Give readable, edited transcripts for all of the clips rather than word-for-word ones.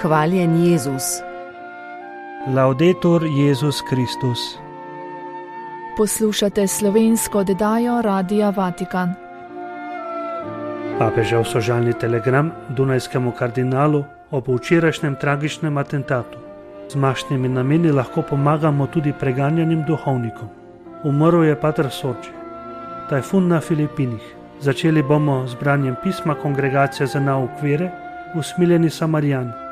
Hvaljen Jezus. Laudetur Jezus Kristus. Poslušate slovensko oddajo Radia Vatikan. Papežev sožalni telegram dunajskemu kardinalu ob včerajšnjem tragičnem atentatu. Z mašnimi nameni lahko pomagamo tudi preganjanim duhovnikom. Umrl je pater Sorči. Tajfun na Filipinih. Začeli bomo z branjem pisma Kongregacije za nauk vere, Usmiljeni Samarijani.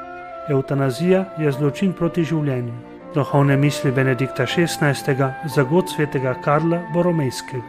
Evtanazija je zločin proti življenju. Duhovne misli Benedikta XVI. Za god svetega Karla Boromejskega.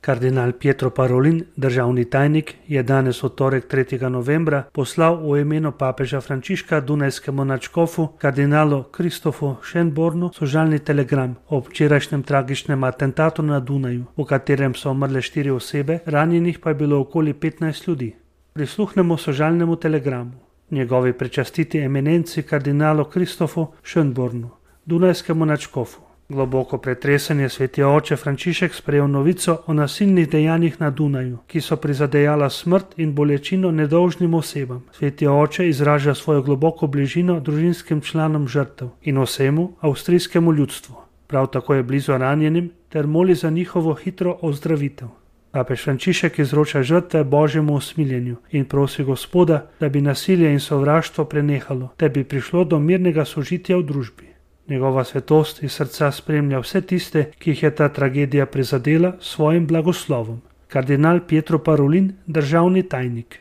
Kardinal Pietro Parolin, državni tajnik, je danes v torek 3. novembra poslal v imenu papeža Frančiška dunajskemu nadškofu kardinalu Kristofu Schönbornu sožalni telegram o včerajšnjem tragičnem atentatu na Dunaju, v katerem so umrle 4 osebe, ranjenih pa je bilo okoli 15 ljudi. Prisluhnemo sožalnemu telegramu. Njegovi prečastiti eminenci kardinalu Kristofu Schönbornu, dunajskemu nadškofu. Globoko pretresanje sveti oče Frančišek sprejel novico o nasilnih dejanjih na Dunaju, ki so prizadejala smrt in bolečino nedolžnim osebam. Sveti oče izraža svojo globoko bližino družinskim članom žrtev in vsemu avstrijskemu ljudstvu. Prav tako je blizu ranjenim ter moli za njihovo hitro ozdravitev. Papež Frančišek izroča žrtve Božjemu usmiljenju in prosi Gospoda, da bi nasilje in sovraštvo prenehalo, ter bi prišlo do mirnega sožitja v družbi. Njegova svetost iz srca spremlja vse tiste, ki jih je ta tragedija prizadela s svojim blagoslovom. Kardinal Pietro Parolin, državni tajnik.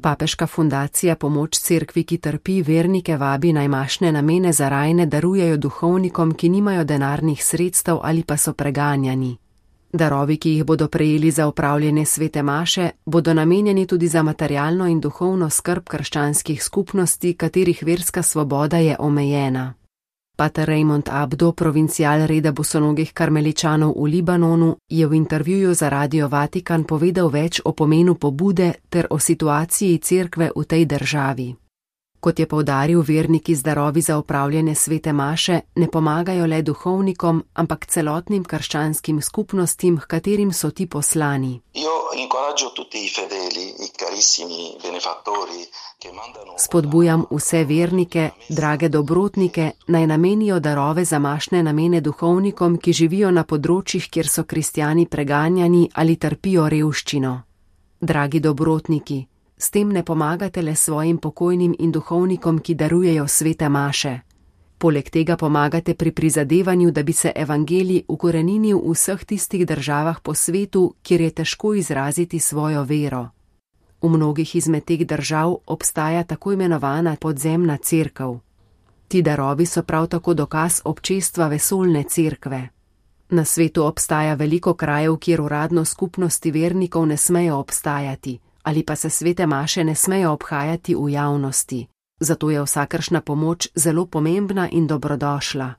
Papeška fundacija Pomoč cerkvi, ki trpi, vernike vabi naj mašne namene za rajne darujejo duhovnikom, ki nimajo denarnih sredstev ali pa so preganjani. Darovi, ki jih bodo prejeli za opravljene svete maše, bodo namenjeni tudi za materialno in duhovno skrb krščanskih skupnosti, katerih verska svoboda je omejena. Pater Raymond Abdo, provincial reda bosonogih karmeličanov v Libanonu, je v intervjuju za Radio Vatikan povedal več o pomenu pobude ter o situaciji cerkve v tej državi. Kot je poudaril, verniki z darovi za opravljene svete maše ne pomagajo le duhovnikom, ampak celotnim krščanskim skupnostim, h katerim so ti poslani. Spodbujam vse vernike, drage dobrotnike, naj namenijo darove za mašne namene duhovnikom, ki živijo na področjih, kjer so kristjani preganjani ali trpijo revščino. Dragi dobrotniki, s tem ne pomagate le svojim pokojnim in duhovnikom, ki darujejo svete maše. Poleg tega pomagate pri prizadevanju, da bi se evangelij ukoreninil v vseh tistih državah po svetu, kjer je težko izraziti svojo vero. V mnogih izmed teh držav obstaja tako imenovana podzemna cerkev. Ti darovi so prav tako dokaz občestva vesoljne cerkve. Na svetu obstaja veliko krajev, kjer uradno skupnosti vernikov ne smejo obstajati, ali pa se svete maše ne smejo obhajati v javnosti. Zato je vsakršna pomoč zelo pomembna in dobrodošla.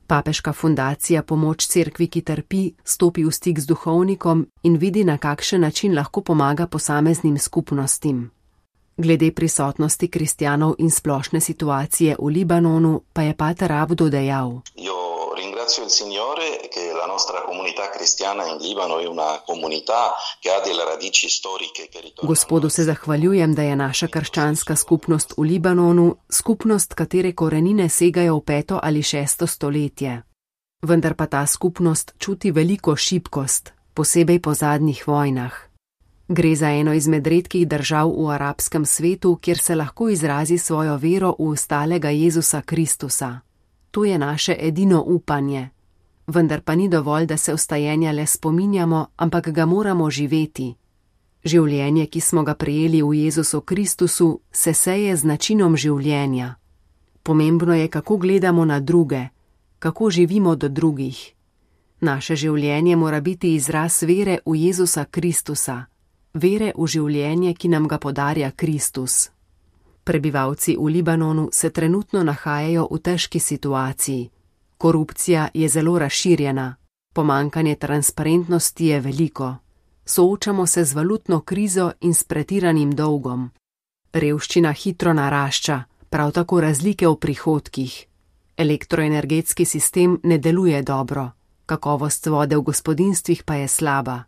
Papeška fundacija Pomoč cerkvi, ki trpi, stopi v stik z duhovnikom in vidi, na kakšen način lahko pomaga posameznim skupnostim. Glede prisotnosti kristjanov in splošne situacije v Libanonu pa je pater Abdo dejal: Ringrazio il Signore che la nostra comunità cristiana in Libano è una comunità che ha delle radici storiche che ritornano. Gospodu se zahvaljujem, da je naša krščanska skupnost v Libanonu skupnost, katere korenine segajo v 5. ali 6. stoletje. Vendar pa ta skupnost čuti veliko šibkost, posebej po zadnjih vojnah. Gre za eno izmed redkih držav v arabskem svetu, kjer se lahko izrazi svojo vero v ostalega Jezusa Kristusa. To je naše edino upanje. Vendar pa ni dovolj, da se vstajenja le spominjamo, ampak ga moramo živeti. Življenje, ki smo ga prejeli v Jezusu Kristusu, se seje z načinom življenja. Pomembno je, kako gledamo na druge, kako živimo do drugih. Naše življenje mora biti izraz vere v Jezusa Kristusa, vere v življenje, ki nam ga podarja Kristus. Prebivalci v Libanonu se trenutno nahajajo v težki situaciji. Korupcija je zelo razširjena, pomanjkanje transparentnosti je veliko. Soočamo se z valutno krizo in s pretiranim dolgom. Revščina hitro narašča, prav tako razlike v prihodkih. Elektroenergetski sistem ne deluje dobro, kakovost vode v gospodinjstvih pa je slaba.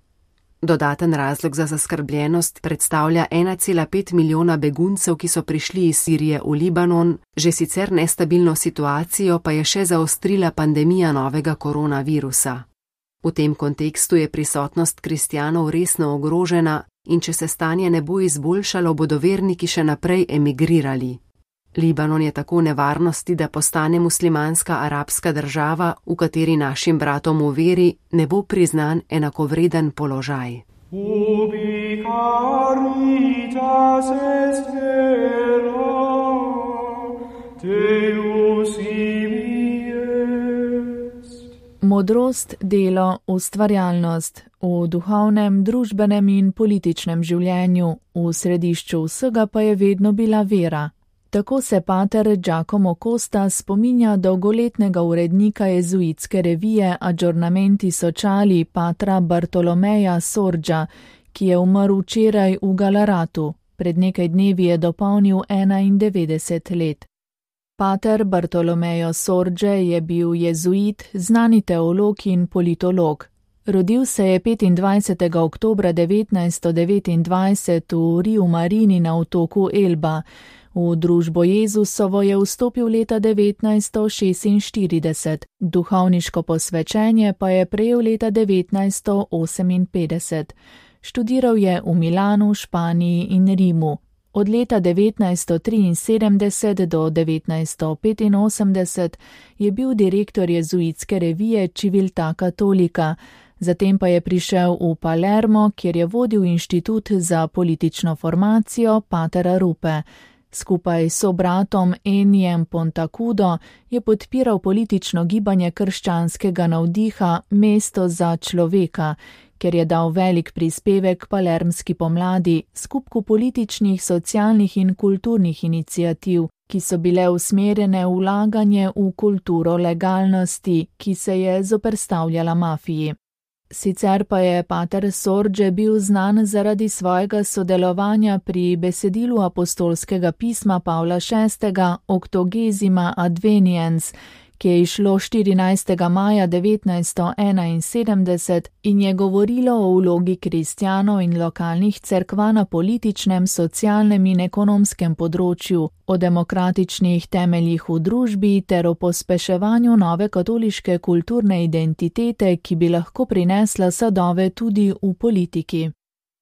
Dodaten razlog za zaskrbljenost predstavlja 1,5 milijona beguncev, ki so prišli iz Sirije v Libanon, že sicer nestabilno situacijo pa je še zaostrila pandemija novega koronavirusa. V tem kontekstu je prisotnost kristjanov resno ogrožena in če se stanje ne bo izboljšalo, bodo verniki še naprej emigrirali. Libanon je tako v nevarnosti, da postane muslimanska arabska država, v kateri našim bratom v veri ne bo priznan enakovreden položaj. Ubi caritas est vera, Deus ibi est. Modrost, delo, ustvarjalnost v duhovnem, družbenem in političnem življenju, v središču vsega pa je vedno bila vera. Tako se pater Giacomo Costa spominja dolgoletnega urednika jezuitske revije Aggiornamenti sociali patra Bartolomeja Sorgia, ki je umrl včeraj v Galaratu, pred nekaj dnevi je dopolnil 91 let. Pater Bartolomeo Sorgia je bil jezuit, znani teolog in politolog. Rodil se je 25. oktobra 1929 v Riu Marini na otoku Elba. V družbo Jezusovo je vstopil leta 1946, duhovniško posvečenje pa je prejel leta 1958. Študiral je v Milanu, Španiji in Rimu. Od leta 1973 do 1985 je bil direktor jezuitske revije Civiltà Cattolica, zatem pa je prišel v Palermo, kjer je vodil inštitut za politično formacijo Patera Rupe. Skupaj s sobratom Enijem Pontacudo je podpiral politično gibanje krščanskega navdiha Mesto za človeka, ker je dal velik prispevek palermski pomladi, skupku političnih, socialnih in kulturnih iniciativ, ki so bile usmerjene v vlaganje v kulturo legalnosti, ki se je zoperstavljala mafiji. Sicer pa je pater Sorgia bil znan zaradi svojega sodelovanja pri besedilu apostolskega pisma Pavla VI. Octogesima Adveniens, ki je izšlo 14. maja 1971 in je govorilo o vlogi kristjanov in lokalnih cerkva na političnem, socialnem in ekonomskem področju, o demokratičnih temeljih v družbi ter o pospeševanju nove katoliške kulturne identitete, ki bi lahko prinesla sadove tudi v politiki.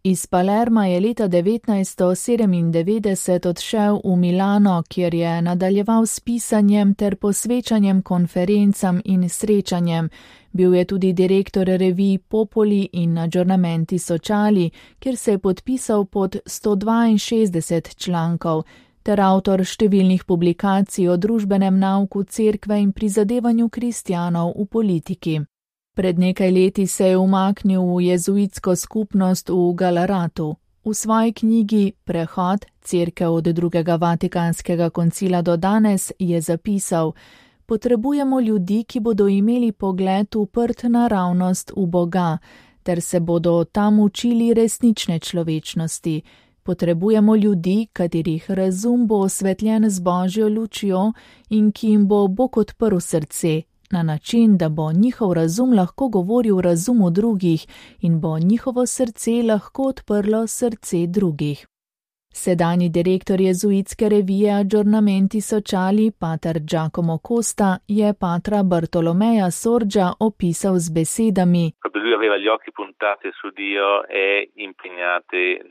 Iz Palerma je leta 1997 odšel v Milano, kjer je nadaljeval s pisanjem ter posvečanjem konferencam in srečanjem. Bil je tudi direktor revij Popoli in Aggiornamenti sociali, kjer se je podpisal pod 162 člankov, ter avtor številnih publikacij o družbenem nauku cerkve in prizadevanju kristjanov v politiki. Pred nekaj leti se je umaknil v jezuitsko skupnost v Galaratu. V svoji knjigi Prehod, cerkev od drugega Vatikanskega koncila do danes je zapisal: potrebujemo ljudi, ki bodo imeli pogled uprt naravnost v Boga, ter se bodo tam učili resnične človečnosti. Potrebujemo ljudi, katerih razum bo osvetljen z Božjo lučjo in ki jim bo Bog odprl srce, na način, da bo njihov razum lahko govoril razumu drugih in bo njihovo srce lahko odprlo srce drugih. Sedanji direktor jezuitske revije Aggiornamenti sociali, pater Giacomo Costa, je patra Bartolomeja Sorgia opisal z besedami: Lui aveva gli occhi puntati su Dio e impegnati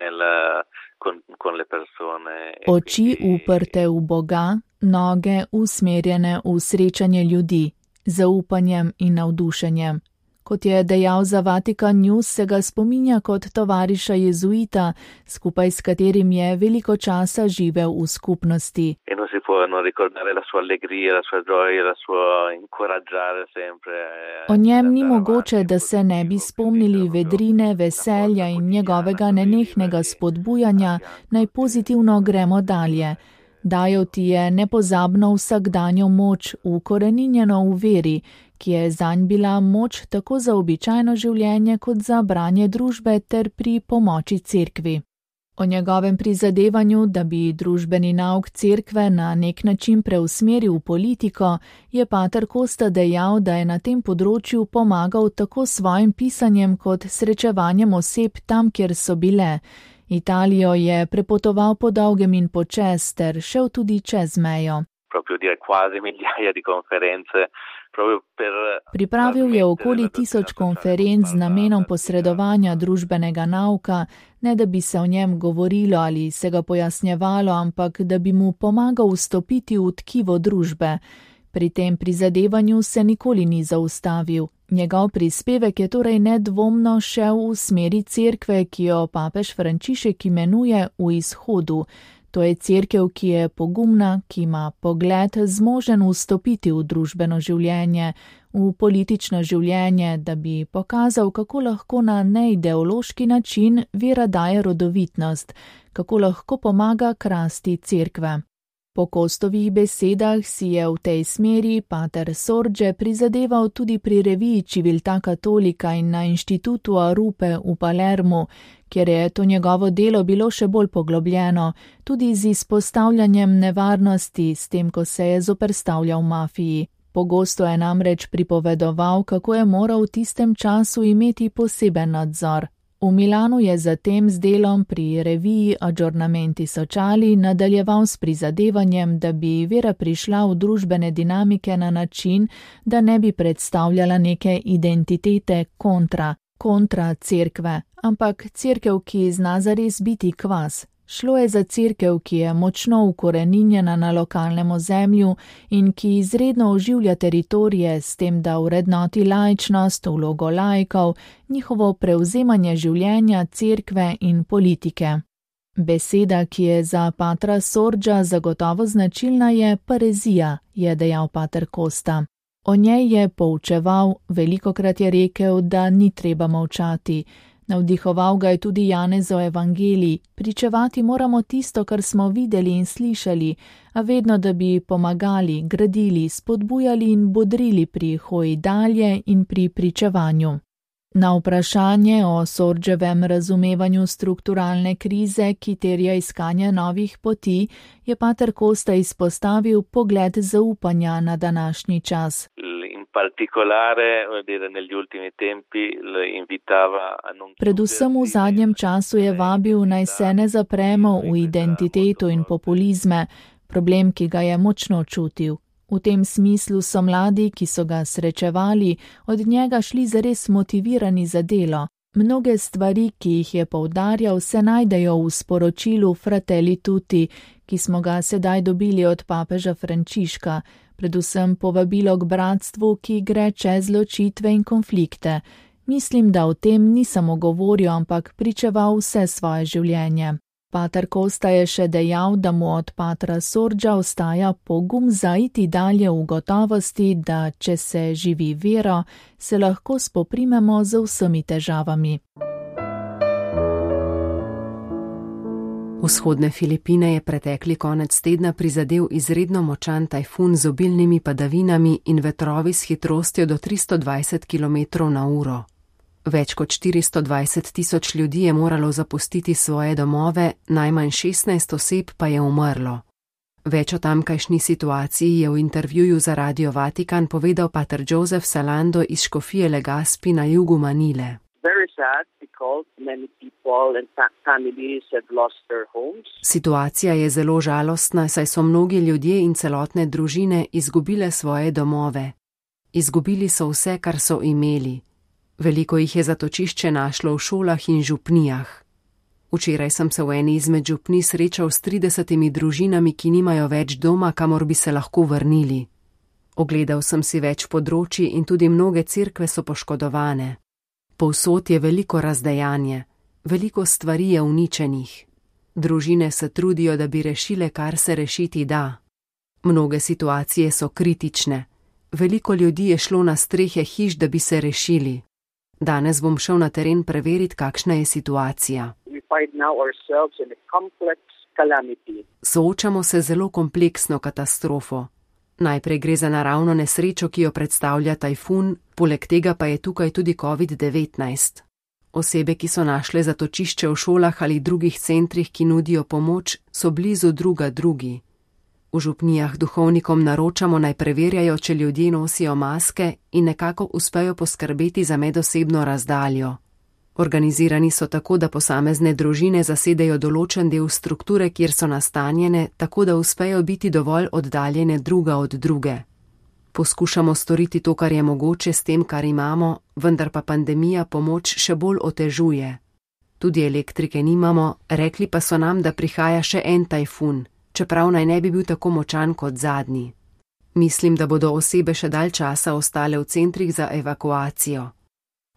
con le persone. Oči uprte v Boga, noge usmerjene v srečanje ljudi, zaupanjem in navdušenjem. Kot je dejal za Vatican News, se ga spominja kot tovariša jezuita, skupaj s katerim je veliko časa živel v skupnosti. O njem ni mogoče, da se ne bi spomnili vedrine, veselja in njegovega nenehnega spodbujanja, naj pozitivno gremo dalje. Dajal ti je nepozabno vsakdanjo moč, ukoreninjeno v veri, ki je zanj bila moč tako za običajno življenje kot za branje družbe ter pri pomoči cerkvi. O njegovem prizadevanju, da bi družbeni nauk cerkve na nek način preusmeril v politiko, je pater Costa dejal, da je na tem področju pomagal tako svojim pisanjem kot srečevanjem oseb tam, kjer so bile. Italijo je prepotoval po dolgem in počez ter šel tudi čez mejo. Pripravil je okoli 1000 konferenc z namenom posredovanja družbenega nauka, ne da bi se o njem govorilo ali se ga pojasnjevalo, ampak da bi mu pomagal vstopiti v tkivo družbe. Pri tem prizadevanju se nikoli ni zaustavil. Njegov prispevek je torej nedvomno šel v smeri cerkve, ki jo papež Frančišek imenuje v izhodu. To je cerkev, ki je pogumna, ki ima pogled zmožen vstopiti v družbeno življenje, v politično življenje, da bi pokazal, kako lahko na neideološki način vera daje rodovitnost, kako lahko pomaga krasti cerkve. Po Costovih besedah si je v tej smeri pater Sorge prizadeval tudi pri reviji Civiltà Cattolica in na inštitutu Arupe v Palermu, kjer je to njegovo delo bilo še bolj poglobljeno, tudi z izpostavljanjem nevarnosti s tem, ko se je zoperstavljal mafiji. Pogosto je namreč pripovedoval, kako je moral v tistem času imeti poseben nadzor. V Milanu je zatem z delom pri reviji Aggiornamenti Sociali nadaljeval s prizadevanjem, da bi vera prišla v družbene dinamike na način, da ne bi predstavljala neke identitete kontra cerkve, ampak cerkev, ki zna zares biti kvas. Šlo je za cerkev, ki je močno ukoreninjena na lokalnem ozemlju in ki izredno oživlja teritorije s tem, da vrednoti laičnost, vlogo laikov, njihovo prevzemanje življenja, cerkve in politike. Beseda, ki je za patra Sorgea zagotovo značilna, je parezija, je dejal pater Costa. O njej je poučeval, velikokrat je rekel, da ni treba molčati. Navdihoval ga je tudi Janezov evangelij, pričevati moramo tisto, kar smo videli in slišali, a vedno, da bi pomagali, gradili, spodbujali in bodrili pri hoji dalje in pri pričevanju. Na vprašanje o Sorgevem razumevanju strukturalne krize, ki terja iskanje novih poti, je pater Costa izpostavil pogled zaupanja na današnji čas. Predvsem v zadnjem času je vabil, naj se ne zapremo v identiteto in populizme, problem, ki ga je močno čutil. V tem smislu so mladi, ki so ga srečevali, od njega šli zares motivirani za delo. Mnoge stvari, ki jih je poudarjal, se najdejo v sporočilu Fratelli Tutti, ki smo ga sedaj dobili od papeža Frančiška, predvsem povabilo k bratstvu, ki gre čez ločitve in konflikte. Mislim, da o tem ni samo govoril, ampak pričeval vse svoje življenje. Pater Costa je še dejal, da mu od patra Sorgea ostaja pogum zaiti dalje v gotovosti, da če se živi vero, se lahko spoprimemo z vsemi težavami. Vzhodne Filipine je pretekli konec tedna prizadel izredno močan tajfun z obilnimi padavinami in vetrovi s hitrostjo do 320 km/h. Več kot 420 000 ljudi je moralo zapustiti svoje domove, najmanj 16 oseb pa je umrlo. Več o tamkajšnji situaciji je v intervjuju za Radio Vatikan povedal pater Joseph Salando iz škofije Legazpi na jugu Manile. Situacija je zelo žalostna, saj so mnogi ljudje in celotne družine izgubile svoje domove. Izgubili so vse, kar so imeli. Veliko jih je zatočišče našlo v šolah in župnijah. Včeraj sem se v eni izmed župnij srečal s 30 družinami, ki nimajo več doma, kamor bi se lahko vrnili. Ogledal sem si več področji in tudi mnoge cerkve so poškodovane. Povsod je veliko razdejanje, veliko stvari je uničenih. Družine se trudijo, da bi rešile, kar se rešiti da. Mnoge situacije so kritične. Veliko ljudi je šlo na strehe hiš, da bi se rešili. Danes bom šel na teren preveriti, kakšna je situacija. Soočamo se z zelo kompleksno katastrofo. Najprej gre za naravno nesrečo, ki jo predstavlja tajfun, poleg tega pa je tukaj tudi COVID-19. Osebe, ki so našle zatočišče v šolah ali drugih centrih, ki nudijo pomoč, so blizu druga drugi. V župnijah duhovnikom naročamo naj preverjajo, če ljudje nosijo maske in nekako uspejo poskrbeti za medosebno razdaljo. Organizirani so tako, da posamezne družine zasedejo določen del strukture, kjer so nastanjene, tako da uspejo biti dovolj oddaljene druga od druge. Poskušamo storiti to, kar je mogoče s tem, kar imamo, vendar pa pandemija pomoč še bolj otežuje. Tudi elektrike nimamo, rekli pa so nam, da prihaja še en tajfun, čeprav naj ne bi bil tako močan kot zadnji. Mislim, da bodo osebe še dalj časa ostale v centrih za evakuacijo.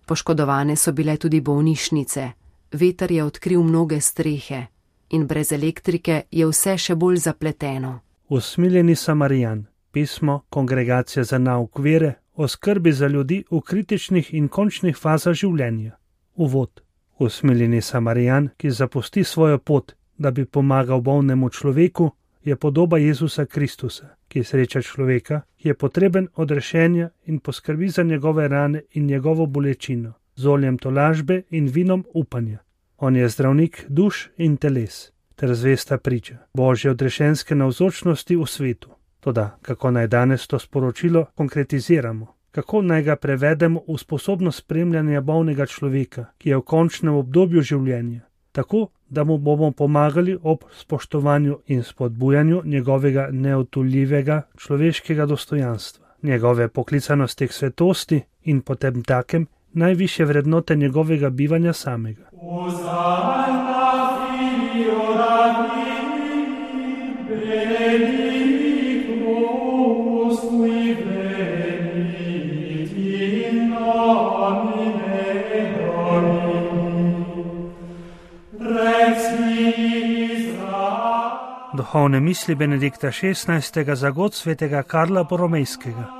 Poškodovane so bile tudi bolnišnice, veter je odkril mnoge strehe in brez elektrike je vse še bolj zapleteno. Usmiljeni Samarijan, pismo Kongregacije za nauk vere o skrbi za ljudi v kritičnih in končnih fazah življenja. Uvod. Usmiljeni Samarijan, ki zapusti svojo pot, da bi pomagal bolnemu človeku, je podoba Jezusa Kristusa, ki sreča človeka, ki je potreben odrešenja in poskrbi za njegove rane in njegovo bolečino, z oljem tolažbe in vinom upanja. On je zdravnik duš in teles, ter zvesta priča Božje odrešenske navzočnosti v svetu. Toda, kako naj danes to sporočilo konkretiziramo? Kako naj ga prevedemo v sposobnost spremljanja bolnega človeka, ki je v končnem obdobju življenja, tako, da mu bomo pomagali ob spoštovanju in spodbujanju njegovega neotuljivega človeškega dostojanstva, njegove poklicanosti k svetosti in potem takem najvišje vrednote njegovega bivanja samega. Duhovne misli Benedikta XVI. Za god svetega Karla Boromejskega.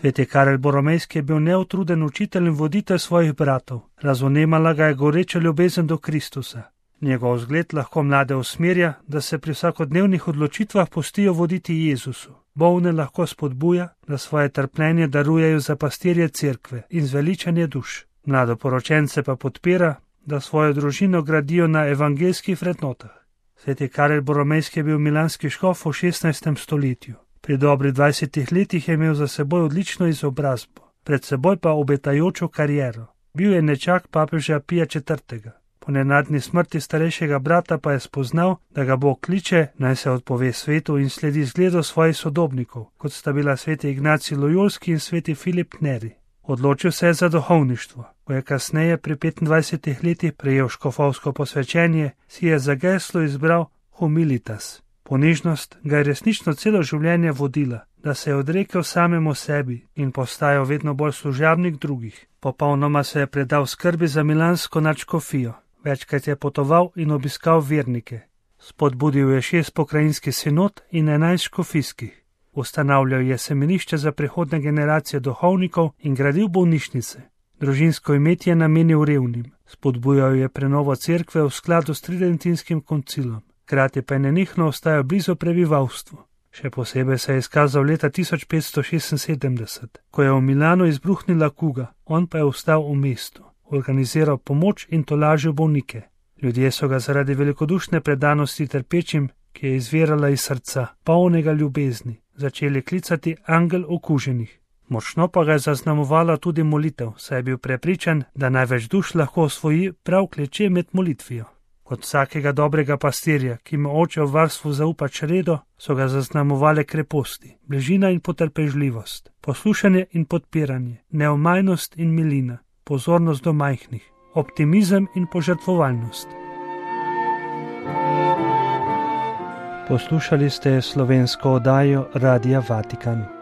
Sveti Karel Boromejski je bil neutruden učitelj in voditelj svojih bratov. Razvnemala ga je goreča ljubezen do Kristusa. Njegov zgled lahko mlade usmerja, da se pri vsakodnevnih odločitvah pustijo voditi Jezusu. Bolne lahko spodbuja, da svoje trpljenje darujejo za pastirje cerkve in zveličanje duš. Mladoporočence pa podpira, da svojo družino gradijo na evangeljskih vrednotah. Sveti Karel Boromejski je bil milanski škof v 16. stoletju. Pri dobrih 20 letih je imel za seboj odlično izobrazbo, pred seboj pa obetajočo kariero. Bil je nečak papeža Pija IV. Po nenadni smrti starejšega brata pa je spoznal, da ga Bog kliče, naj se odpove svetu in sledi zgledu svojih sodobnikov, kot sta bila sveti Ignacij Lojolski in sveti Filip Neri. Odločil se je za duhovništvo. Ko je kasneje pri 25 letih prejel škofovsko posvečenje, si je za geslo izbral humilitas. Ponižnost ga je resnično celo življenje vodila, da se je odrekel samemu sebi in postajal vedno bolj služabnik drugih. Popolnoma se je predal skrbi za milansko nadškofijo. Večkrat je potoval in obiskal vernike. Spodbudil je 6 pokrajinskih sinod in 11 škofijskih. Ustanavljal je semenišče za prihodne generacije duhovnikov in gradil bolnišnice. Družinsko imetje je namenil revnim. Spodbujal je prenovo cerkve v skladu s Tridentinskim koncilom. Hkrati pa je nenehno ostajal blizu prebivalstvu. Še posebej se je izkazal leta 1576, ko je v Milanu izbruhnila kuga, on pa je ostal v mestu, organiziral pomoč in tolažil bolnike. Ljudje so ga zaradi velikodušne predanosti trpečim, ki je izvirala iz srca, polnega ljubezni, začeli klicati angel okuženih. Močno pa ga je zaznamovala tudi molitev, saj je bil prepričan, da največ duš lahko osvoji prav kleče med molitvijo. Kot vsakega dobrega pastirja, ki mu oče v varstvu zaupa čredo, so ga zaznamovale kreposti, bližina in potrpežljivost, poslušanje in podpiranje, neomajnost in milina, pozornost do majhnih, optimizem in požrtvovalnost. Poslušali ste slovensko oddajo Radia Vatikan.